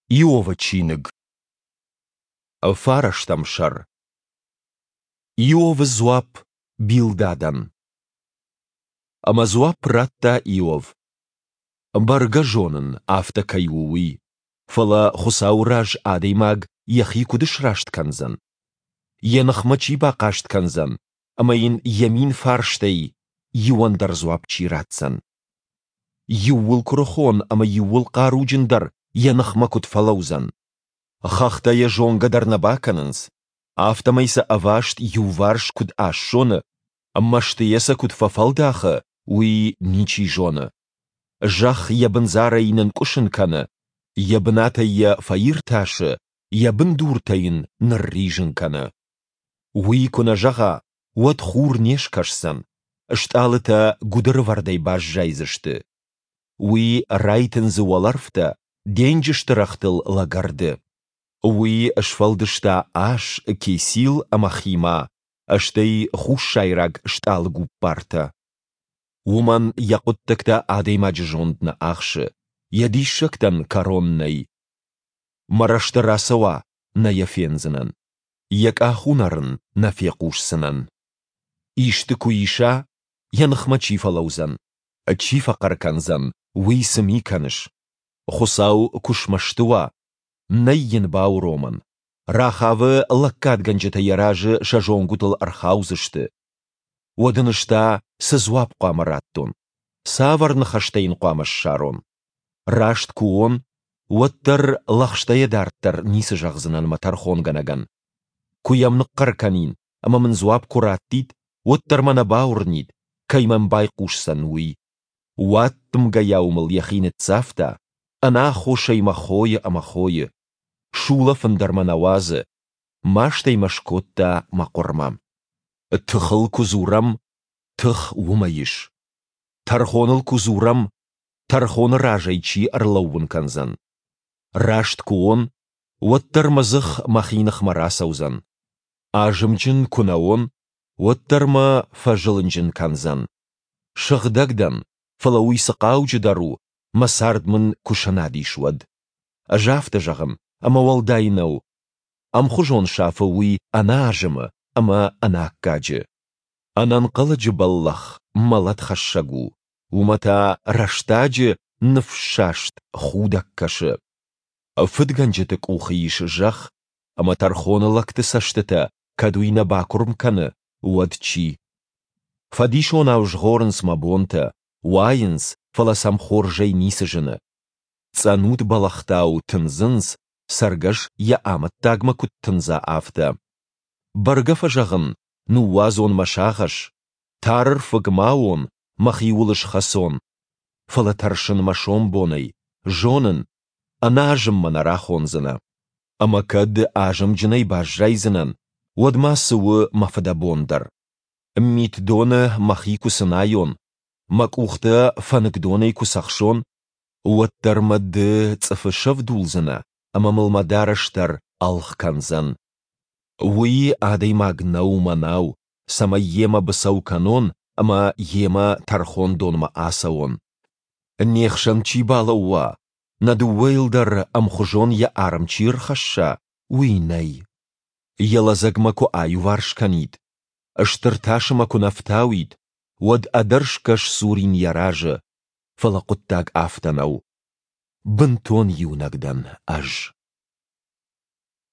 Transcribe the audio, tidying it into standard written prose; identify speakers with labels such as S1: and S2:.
S1: Иовы чиныг. Фарӕстӕм сӕр. Иовы дзуапп Билдадӕн. Ӕмӕ дзуапп радта Иов: Бӕргӕ зонын, афтӕ кӕй у, уый, фӕлӕ Хуыцауы раз адӕймаг йӕхи куыд сраст кӕндзӕн? Йӕ ныхмӕ чи бахъаст кӕндзӕн ӕмӕ йын йӕ мин фарстӕй иуӕн дӕр дзуапп чи ратдзӕн? Иууыл куырыхон ӕмӕ иууыл хъаруджындӕр йӕ ныхмӕ куыд фӕлӕудзӕн? Хӕхтӕ йӕ зонгӕ дӕр нӕ бакӕнынц, афтӕмӕй сӕ ӕваст иуварс куыд ассоны, мӕстыйӕ сӕ куыд фӕфӕлдахы, уый ничи зоны. Зӕхх йӕ бындзарӕй нынкъуысын кӕны, йӕ бынатӕй йӕ фӕиртасы, йӕ бындуртӕ йын нырризын кӕны. Уый куы нӕ зӕгъа, уӕд хур не скӕсдзӕн, стъалытӕ гуыдырвӕрдӕй баззайдзысты. Уый райтындзы уӕлӕрвтӕ, денджызты рӕгътыл лӕгӕрды. Уый сфӕлдыста ас, кесил ӕмӕ хима, стӕй хуссайраг стъалыгуппартӕ. Уымӕн йӕ хъуыддӕгтӕ адӕймаджы зонд нӕ ахсы, йӕ диссӕгтӕн кӕрон нӕй. Мӕ рӕзты рацӕуа, нӕ йӕ фендзынӕн. Йӕ къахуынӕр ын нӕ фехъусдзынӕн. Исты куы иса, йӕ ныхмӕ чи фӕлӕудзӕн? Чи фӕхъӕр кӕндзӕн, уый цы ми кӕныс? Хуыцау куы смӕсты уа, нӕй йын бауромӕн. Рахавы лӕггадгӕнджытӕ йӕ разы сӕ зонгуытыл ӕрхаудзысты. Уӕд ын ӕз та цы дзуапп хъуамӕ раттон? Цавӕр ныхӕстӕ йын хъуамӕ ссарон? Раст куы уон, уӕддӕр лӕгъстӕйӕ дарддӕр ницы зӕгъдзынӕн мӕ тӕрхонгӕнӕгӕн. Куы йӕм ныхъхъӕр кӕнин ӕмӕ мын дзуапп куы раттид, уӕддӕр мӕ нӕ бауырнид, кӕй мӕм байхъусдзӕн, уый. Уаддымгӕйау мыл йӕхи ныццавта, ӕнаххосӕй мӕ хойы ӕмӕ хойы. Сулӕфын дӕр мӕ нӕ уадзы, мастӕй мӕ скодта мӕ хъуырмӕ. Тыхыл куы дзурӕм, тых уымӕ ис. Тӕрхоныл куы дзурӕм, тӕрхоны разӕй чи ӕрлӕууын кӕндзӕн? Раст куы уон, уӕддӕр мӕ дзых мӕхи ныхмӕ рацӕудзӕн. Азымджын куы нӕ уон, уӕддӕр мӕ фӕзылынджын кӕндзӕн. Сыгъдӕг дӕн, фӕлӕ уый цы хъауджыдӕр у, мӕ цард мын куы сӕнад ис, уӕд? Ӕз афтӕ зӕгъын, ӕмӕ уӕлдай нӕу. Ӕмхуызон сафы уый ӕнӕазымы ӕмӕ ӕнаккаджы. Ӕнӕнхъӕлӕджы бӕллӕх мӕлӕтхӕссӕг у, уымӕ та рӕстӕджы ныфссаст худӕг кӕсы. Фыдгӕнджыты къухы ис зӕхх, ӕмӕ тӕрхоны лӕгты цӕстытӕ кӕд уый нӕ бакуырм кӕны, уӕд чи? Фӕдисонау згъорынц мӕ бонтӕ, уайынц, фӕлӕ сӕм хорзӕй ницы зыны. Цъӕнут бӕлӕгътау тындзынц, цӕргӕс йӕ амӕттагмӕ куыд тындза, афтӕ. Бӕргӕ фӕзӕгъын, ныууадзон мӕ сагъӕс, тарӕрфыг ма уон, мӕхиуыл схӕцон. Фӕлӕ тӕрсын мӕ сомбонӕй, зонын, ӕнӕазым мӕ нӕ рахондзынӕ. Ӕмӕ кӕд азымджынӕй баззайдзынӕн, уӕд ма цы у мӕ фыдӕбон дӕр? Митдоны мӕхи куы цынайон, мӕ къухтӕ фӕныкдонӕй куы цӕхсон, уӕддӕр мӕ ды цъыфы сӕвдулдзынӕ ӕмӕ мыл мӕ дарӕс дӕр ӕлгъ кӕндзӕн. Уый адӕймаг нӕу мӕнау, цӕмӕй йемӕ быцӕу кӕнон ӕмӕ йемӕ тӕрхондонмӕ ацӕуон. Не хсӕн чи балӕууа, нӕ дыууӕйыл дӕр ӕмхуызон йӕ арм чи рхӕсса, уый нӕй. Йӕ лӕдзӕг мӕ куы аиуварс кӕнид, стыр тасы мӕ куы нӕ фтауид, уӕд ӕдӕрсгӕ сдзурин йӕ разы, фӕлӕ хъуыддаг афтӕ нӕу. Бынтон иунӕг дӕн ӕз.